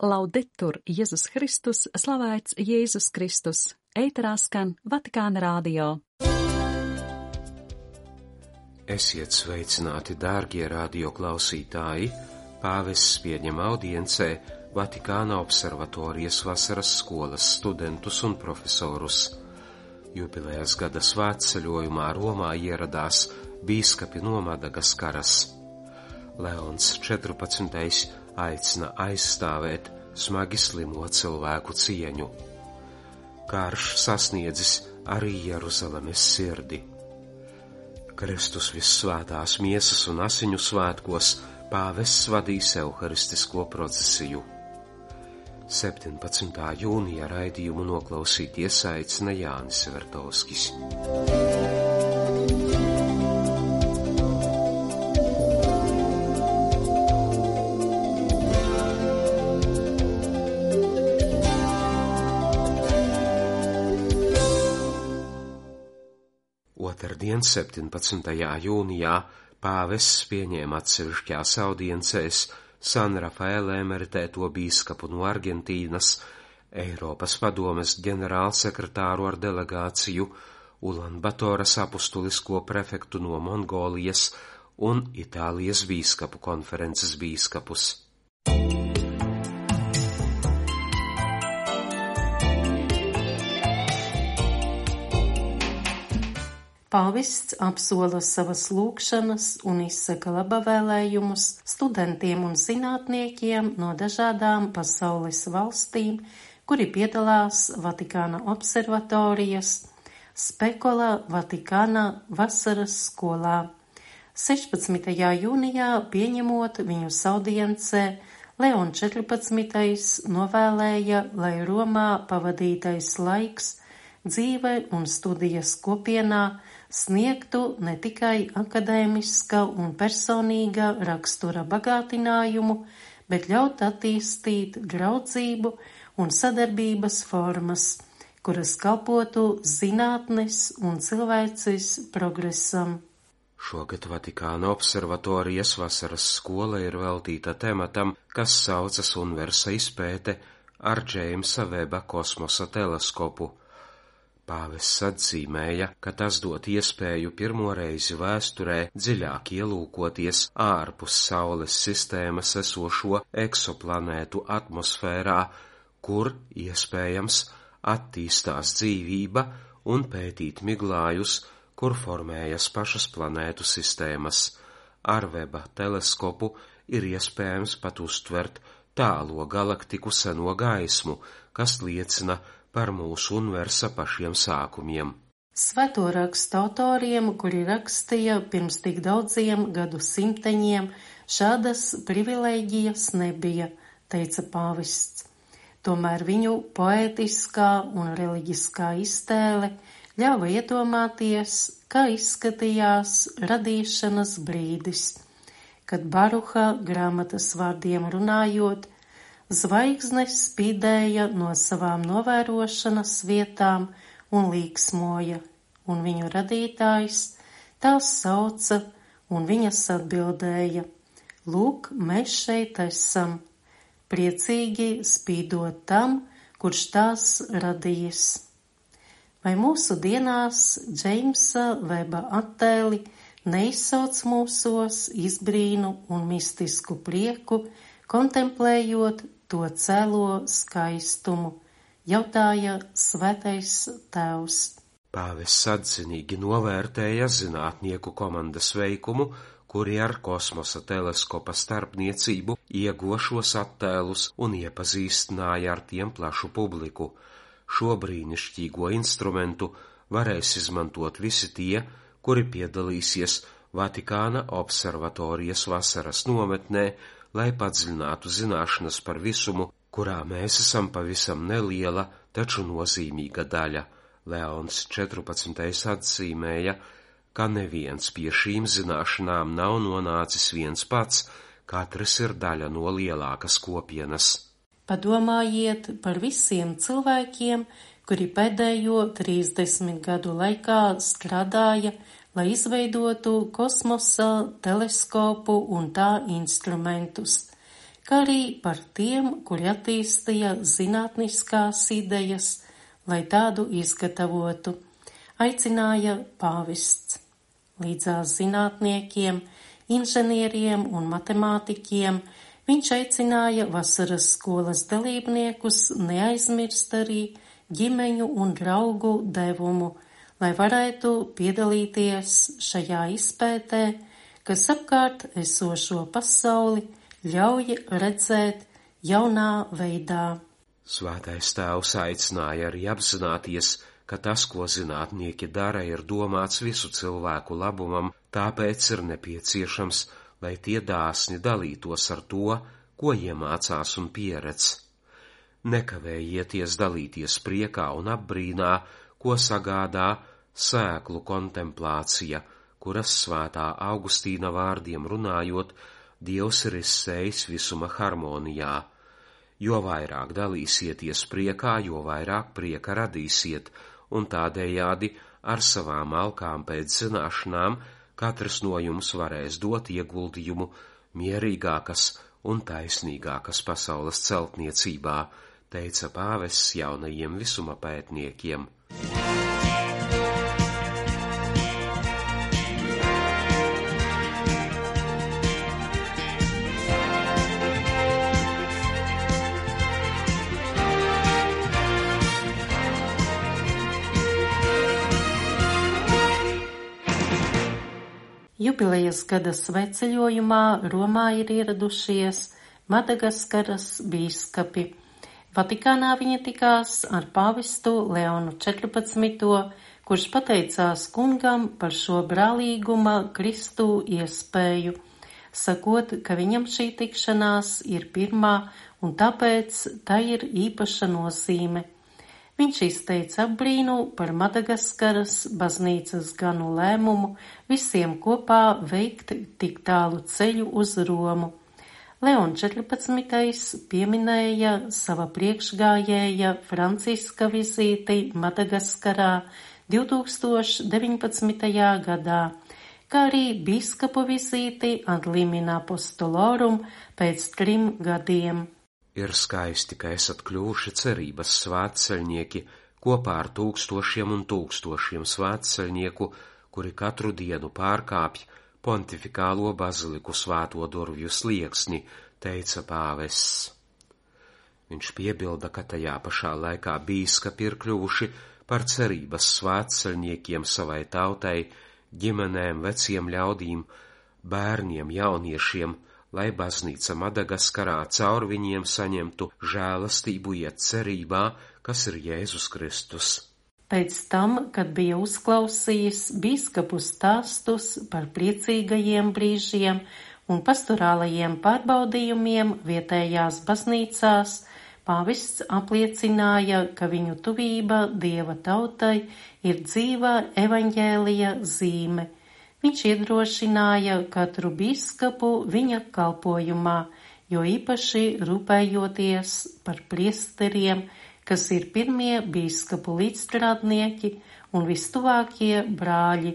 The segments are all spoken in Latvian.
Laudetur Jēzus Kristus, slavēts Jēzus Kristus. Ēterā skan Vatikāna radio. Esiet sveicināti, dārgie radio klausītāji! Pāvests pieņem audiencē Vatikāna observatorijas vasaras skolas studentus un profesorus. Jubilejas gada svētceļojumā Romā ieradās bīskapi no Madagaskaras. Leons 14. aicina aizstāvēt smagi slimo cilvēku cieņu. Karš sasniedzis arī Jeruzalemes sirdi. Kristus Vissvētās miesas un asiņu svētkos pāvests vadīs euharistisko procesiju. 17. jūnija raidījumu noklausīties aicina Jānis Vertovskis. Otrdien, 17. jūnijā, pāvests pieņēma atsevišķās audiencēs San Rafaela emeritēto bīskapu no Argentīnas, Eiropas padomes ģenerālsekretāru ar delegāciju, Ulanbatoras apustulisko prefektu no Mongolijas un Itālijas bīskapu konferences bīskapus. Pāvests apsola savas lūgšanas un izsaka labavēlējumus studentiem un zinātniekiem no dažādām pasaules valstīm, kuri piedalās Vatikāna observatorijas Spekola Vatikāna vasaras skolā. 16. jūnijā pieņemot viņus audiencē, Leon 14. novēlēja, lai Romā pavadītais laiks dzīve un studijas kopienā sniegtu ne tikai akadēmiska un personīga rakstura bagātinājumu, bet ļaut attīstīt draudzību un sadarbības formas, kuras kalpotu zinātnes un cilvēces progresam. Šogad Vatikāna observatorijas vasaras skola ir veltīta tematam, kas saucas Universa izpēte ar Džeimsa Veba kosmosa teleskopu. Pāvests atzīmēja, ka tas dod iespēju pirmo reizi vēsturē dziļāk ielūkoties ārpus Saules sistēmas esošo eksoplanētu atmosfērā, kur, iespējams, attīstās dzīvība un pētīt miglājus, kur formējas pašas planētu sistēmas. Ar Veba teleskopu ir iespējams pat uztvert tālo galaktiku seno gaismu, kas liecina par mūsu universa pašiem sākumiem. Svēto rakstu autoriem, kuri rakstīja pirms tik daudziem gadu simteņiem, šādas privilēģijas nebija, teica pāvests. Tomēr viņu poētiskā un reliģiskā iztēle ļāva iedomāties, kā izskatījās radīšanas brīdis, kad Baruha grāmatas vārdiem runājot, zvaigznes spīdēja no savām novērošanas vietām un līksmoja, un viņu radītājs tās sauca, un viņas atbildēja: Lūk, mēs šeit esam, priecīgi spīdot tam, kurš tās radījis. Vai mūsu dienās Džeimsa Veba attēli neizsauc mūsos izbrīnu un mistisku prieku, kontemplējot to cēlo skaistumu, jautāja Svētais Tēvs. Pāvests atzinīgi novērtēja zinātnieku komandas veikumu, kuri ar kosmosa teleskopa starpniecību ieguva attēlus un iepazīstināja ar tiem plašu publiku. Šo brīnišķīgo instrumentu varēs izmantot visi tie, kuri piedalīsies Vatikāna observatorijas vasaras nometnē, lai padziļinātu zināšanas par visumu, kurā mēs esam pavisam neliela, taču nozīmīga daļa. Leons 14. atzīmēja, ka neviens pie šīm zināšanām nav nonācis viens pats, katrs ir daļa no lielākas kopienas. Padomājiet par visiem cilvēkiem, kuri pēdējo 30 gadu laikā strādāja, lai izveidotu kosmosa teleskopu un tā instrumentus, kā arī par tiem, kuri attīstīja zinātniskās idejas, lai tādu izgatavotu, aicināja pāvests. Līdzās zinātniekiem, inženieriem un matemātiķiem viņš aicināja vasaras skolas dalībniekus neaizmirst arī ģimeņu un draugu devumu, lai varētu piedalīties šajā izpētē, kas apkārt esošo pasauli ļauj redzēt jaunā veidā. Svētais tēvs aicināja arī apzināties, ka tas, ko zinātnieki dara, ir domāts visu cilvēku labumam, tāpēc ir nepieciešams, lai tie dāsni dalītos ar to, ko iemācās un pieredz. Nekavējieties dalīties priekā un apbrīnā, ko sagādā sēklu kontemplācija, kuras svētā Augustīna vārdiem runājot, Dievs ir izsējis visuma harmonijā. Jo vairāk dalīsieties priekā, jo vairāk prieka radīsiet, un tādējādi ar savām alkām pēc zināšanām katrs no jums varēs dot ieguldījumu mierīgākas un taisnīgākas pasaules celtniecībā, teica pāvests jaunajiem visuma pētniekiem. Jubilejas gada svētceļojumā Romā ir ieradušies Madagaskaras bīskapi. Vatikānā viņi tikās ar pāvestu Leonu 14., kurš pateicās kungam par šo brālīguma Kristu iespēju, sakot, ka viņam šī tikšanās ir pirmā un tāpēc tā ir īpaša nozīme. Viņš izteica apbrīnu par Madagaskaras baznīcas ganu lēmumu visiem kopā veikt tik tālu ceļu uz Romu. Leons 14. pieminēja sava priekšgājēja Franciska vizīti Madagaskarā 2019. gadā, kā arī bīskapu vizīti ad limina apostolorum pēc 3 gadiem. Ir skaisti, ka esat kļuvuši cerības svētceļnieki kopā ar tūkstošiem un tūkstošiem svētceļnieku, kuri katru dienu pārkāpj pontifikālo baziliku svēto durvju slieksni, teica pāvests. Viņš piebilda, ka tajā pašā laikā bīskapi ir kļuvuši par cerības svētceļniekiem savai tautai, ģimenēm, veciem ļaudīm, bērniem, jauniešiem, lai baznīca Madagaskarā caur viņiem saņemtu žēlastību iet cerībā, kas ir Jēzus Kristus. Pēc tam, kad bija uzklausījis bīskapu stāstus par priecīgajiem brīžiem un pastorālajiem pārbaudījumiem vietējās baznīcās, pāvests apliecināja, ka viņu tuvība Dieva tautai ir dzīvā evaņģēlija zīme. Viņš iedrošināja katru bīskapu viņa kalpojumā, jo īpaši rūpējoties par priesteriem, kas ir pirmie bīskapu līdzstrādnieki un vistuvākie brāļi,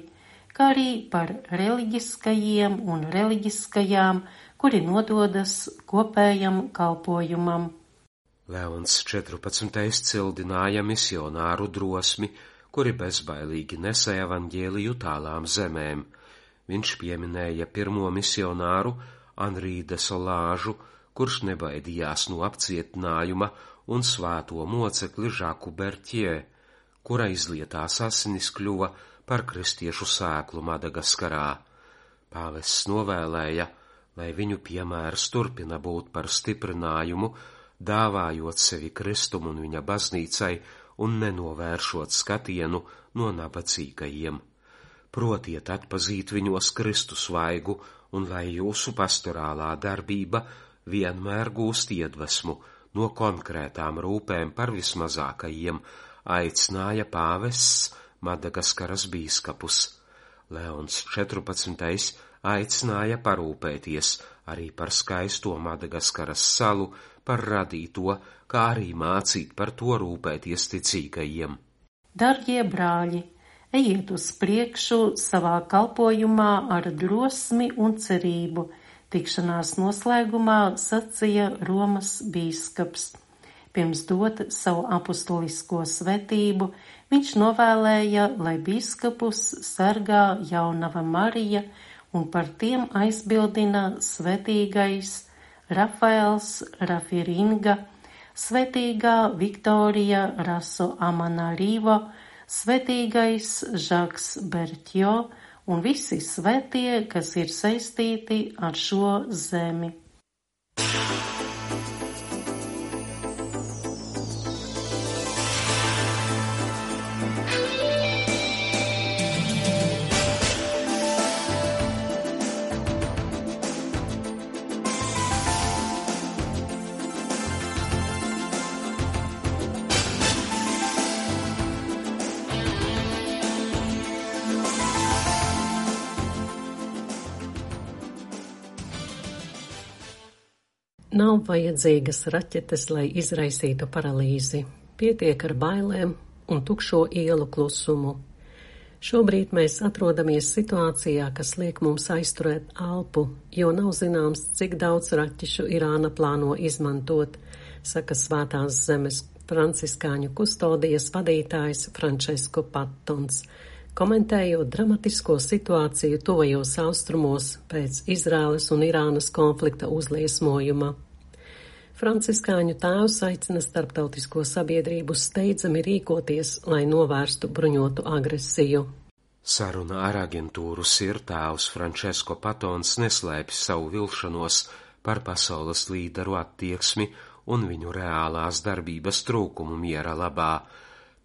kā arī par reliģiskajiem un reliģiskajām, kuri nododas kopējam kalpojumam. Leons 14. cildināja misionāru drosmi, kuri bezbailīgi nesa evaņģēliju tālām zemēm. Viņš pieminēja pirmo misionāru Anrī de Solāžu, kurš nebaidījās no apcietinājuma, un svēto mocekli Žaku Bertjē, kura izlietās asinis kļuva par kristiešu sēklu Madagaskarā. Pāvests novēlēja, lai viņu piemērs turpina būt par stiprinājumu, dāvājot sevi Kristum un viņa baznīcai un nenovēršot skatienu no nabadzīgajiem. Protiet atpazīt viņos Kristus vaigu, un lai jūsu pastorālā darbība vienmēr gūst iedvesmu no konkrētām rūpēm par vismazākajiem, aicināja pāvests Madagaskaras bīskapus. Leons 14. aicināja parūpēties arī par skaisto Madagaskaras salu, par radīto, kā arī mācīt par to rūpēties ticīgajiem. Dargie brāļi, ejiet uz priekšu savā kalpojumā ar drosmi un cerību, Tikšanās noslēgumā sacīja Romas bīskaps. Pirms dot savu apustulisko svētību, viņš novēlēja, lai bīskapus sargā jaunava Marija un par tiem aizbildina svētīgais Rafaels Rafiringa, svētīgā Viktorija Raso Amanarivo, svētīgais Žaks Bertjo un visi svētie, kas ir saistīti ar šo zemi. Nav vajadzīgas raķetes, lai izraisītu paralīzi. Pietiek ar bailēm un tukšo ielu klusumu. Šobrīd mēs atrodamies situācijā, kas liek mums aizturēt elpu, jo nav zināms, cik daudz raķešu Irāna plāno izmantot, saka Svētās zemes franciskāņu kustodijas vadītājs Francesco Pattons, komentējot dramatisko situāciju tuvajos austrumos pēc Izraēlas un Irānas konflikta uzliesmojuma. Franciskāņu tēvs aicina starptautisko sabiedrību steidzami rīkoties, lai novērstu bruņotu agresiju. Saruna ar aģentūru SIR tēvs Francesco Pattons neslēpj savu vilšanos par pasaules līderu attieksmi un viņu reālās darbības trūkumu miera labā.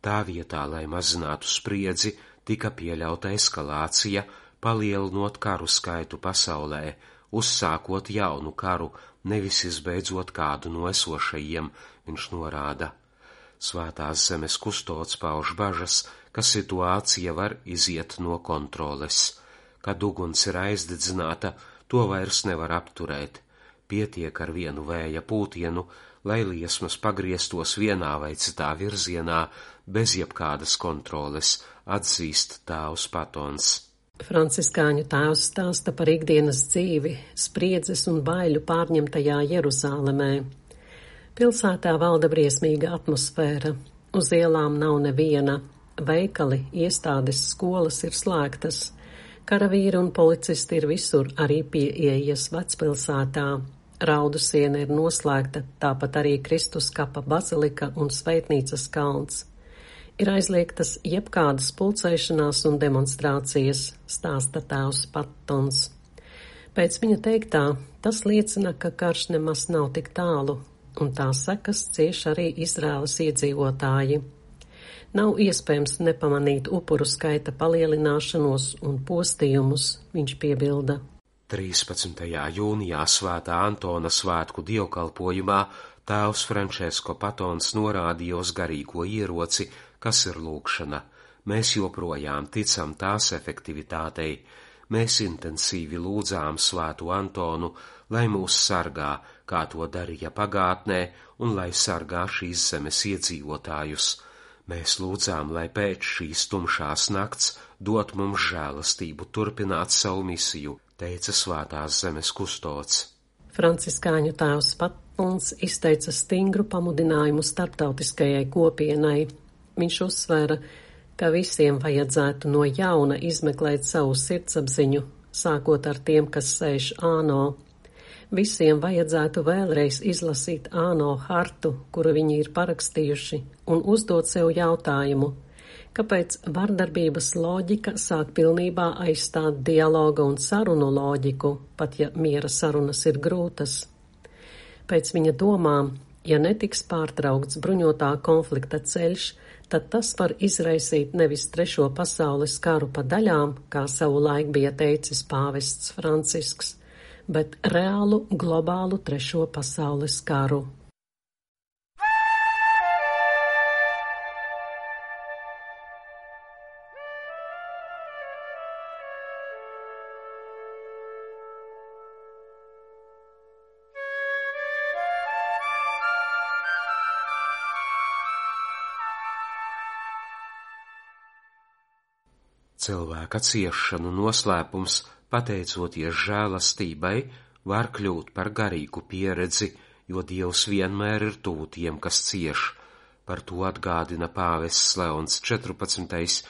Tā vietā, lai mazinātu spriedzi, tika pieļauta eskalācija, palielinot karu skaitu pasaulē, uzsākot jaunu karu, nevis izbeidzot kādu no esošajiem, viņš norāda. Svētās zemes kustods pauž bažas, ka situācija var iziet no kontroles. Kad uguns ir aizdedzināta, to vairs nevar apturēt. Pietiek ar vienu vēja pūtienu, lai liesmas pagrieztos vienā vai citā virzienā, bez jebkādas kontroles, atzīst tēvs Pattons. Franciskāņu tēvs stāsta par ikdienas dzīvi, spriedzes un baiļu pārņemtajā Jeruzālemē. Pilsētā valda briesmīga atmosfēra. Uz ielām nav neviena. Veikali, iestādes, skolas ir slēgtas. Karavīri un policisti ir visur, arī pie ieejas vecpilsētā. Raudu siena ir noslēgta, tāpat arī Kristus kapa bazilika un Svētnīcas kalns. Ir aizliegtas jebkādas pulcēšanās un demonstrācijas, stāsta tēvs Pattons. Pēc viņa teiktā, tas liecina, ka karš nemaz nav tik tālu, un tā sekas cieš arī Izraēlas iedzīvotāji. Nav iespējams nepamanīt upuru skaita palielināšanos un postījumus, viņš piebilda. 13. jūnijā Svētā Antona svētku dievkalpojumā tēvs Francesco Pattons norādīja uz garīgo ieroci, kas ir lūgšana. Mēs joprojām ticam tās efektivitātei. Mēs intensīvi lūdzām Svēto Antonu, lai mūs sargā, kā to darīja pagātnē, un lai sargā šīs zemes iedzīvotājus. Mēs lūdzām, lai pēc šīs tumšās nakts dot mums žēlastību turpināt savu misiju, teica Svētās zemes kustods. Franciskāņu tēvs Pattons izteica stingru pamudinājumu starptautiskajai kopienai. Viņš uzsvēra, ka visiem vajadzētu no jauna izmeklēt savu sirdsapziņu, sākot ar tiem, kas sēž ANO. Visiem vajadzētu vēlreiz izlasīt ANO hartu, kuru viņi ir parakstījuši, un uzdot sev jautājumu, kāpēc vardarbības loģika sāk pilnībā aizstāt dialoga un sarunu loģiku, pat ja miera sarunas ir grūtas. Pēc viņa domām, ja netiks pārtraukts bruņotā konflikta ceļš, tad tas var izraisīt nevis 3. pasaules karu pa daļām, kā savulaik bija teicis pāvests Francisks, bet reālu globālu 3. pasaules karu. Cilvēka ciešanu noslēpums, pateicoties žēlastībai var kļūt par garīgu pieredzi, jo Dievs vienmēr ir tuvu tiem, kas cieš. Par to atgādina pāvests Leons 14.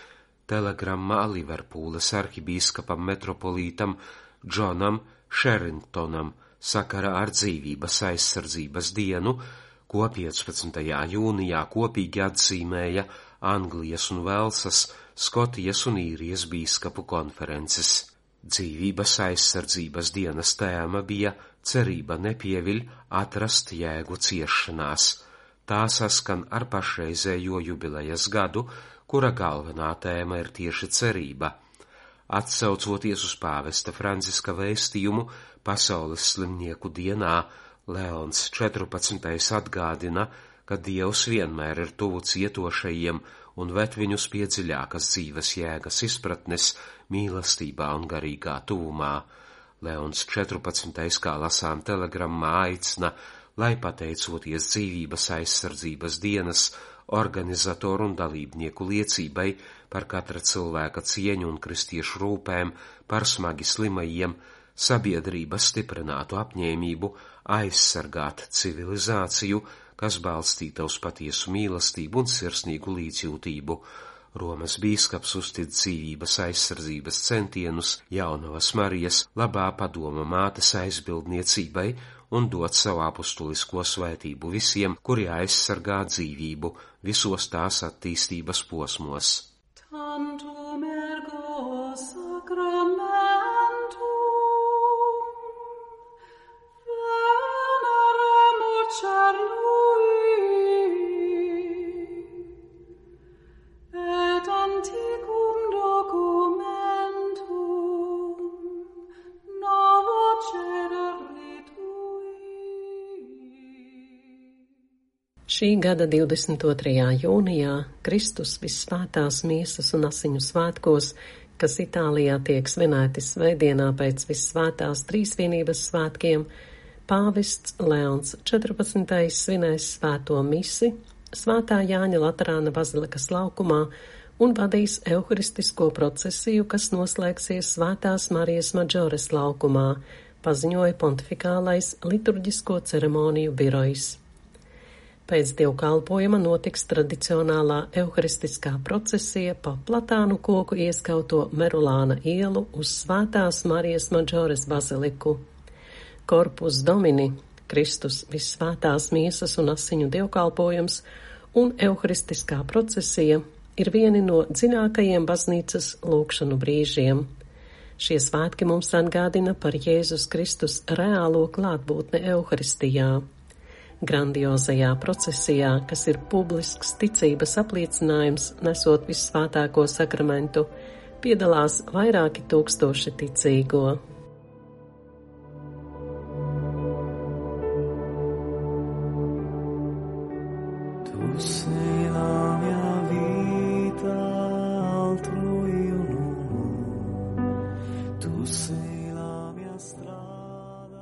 telegrammā Liverpūles arhibīskapam metropolītam Džonam Sherringtonam sakarā ar dzīvības aizsardzības dienu, ko 15. jūnijā kopīgi atzīmēja Anglijas un Velsas, Skotijas un Īrijas bīskapu konferences. Dzīvības aizsardzības dienas tēma bija cerība nepieviļ atrast jēgu ciešanās. Tā saskan ar pašreizējo jubilejas gadu, kura galvenā tēma ir tieši cerība. Atsaucoties uz pāvesta Franciska vēstījumu Pasaules slimnieku dienā, Leons 14. atgādina, ka Dievs vienmēr ir tuvu cietošajiem un ved viņus pie dziļākas dzīves jēgas izpratnes, mīlestībā un garīgā tuvumā. Leons 14. kā lasām telegrammā aicina, lai pateicoties dzīvības aizsardzības dienas organizatoru un dalībnieku liecībai par katra cilvēka cieņu un kristiešu rūpēm par smagi slimajiem, sabiedrība stiprinātu apņēmību aizsargāt civilizāciju, kas balstīta uz patiesu mīlestību un sirsnīgu līdzjūtību. Romas bīskaps uztic dzīvības aizsardzības centienus Jaunavas Marijas labā padoma mātes aizbildniecībai un dot savu apustulisko svētību visiem, kuri aizsargā dzīvību visos tās attīstības posmos. Tantum ergo sacramentum veneremur cernui et antiquum documentum novo cedere tui. Šī gada 22. jūnijā Kristus Vissvētās miesas un asiņu svētkos, kas Itālijā tiek svinēti svētdienā pēc Vissvētās Trīsvienības svētkiem, pāvests Leons 14. svinēs svēto misi Svētā Jāņa Laterāna bazilikas laukumā un vadīs euharistisko procesiju, kas noslēgsies Svētās Marijas Maģores laukumā, paziņoja pontifikālais liturģisko ceremoniju birojs. Pēc dievkalpojuma notiks tradicionālā euharistiskā procesija pa platānu koku ieskauto Merulāna ielu uz Svētās Marijas Maģores baziliku. Corpus Domini, Kristus Vissvētās miesas un asiņu dievkalpojums un euharistiskā procesija ir vieni no dziļākajiem baznīcas lūgšanu brīžiem. Šie svētki mums atgādina par Jēzus Kristus reālo klātbūtni euharistijā. Grandiozajā procesijā, kas ir publisks ticības apliecinājums, nesot vissvētāko sakramentu, piedalās vairāki tūkstoši ticīgo. Tu sei la mia vita, altro io non ho. Tu sei la mia strada.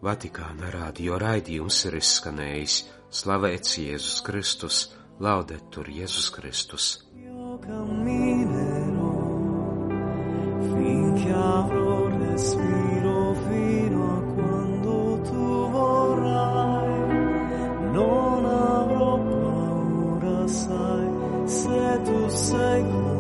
Vatikāna radio raidījums ir izskanējis. Slavēts Jēzus Kristus, laudetur Jēzus Kristus. Io camminerò finché avrò respiro fino a quando tu vorrai. Non avrò paura, sai, se tu sei con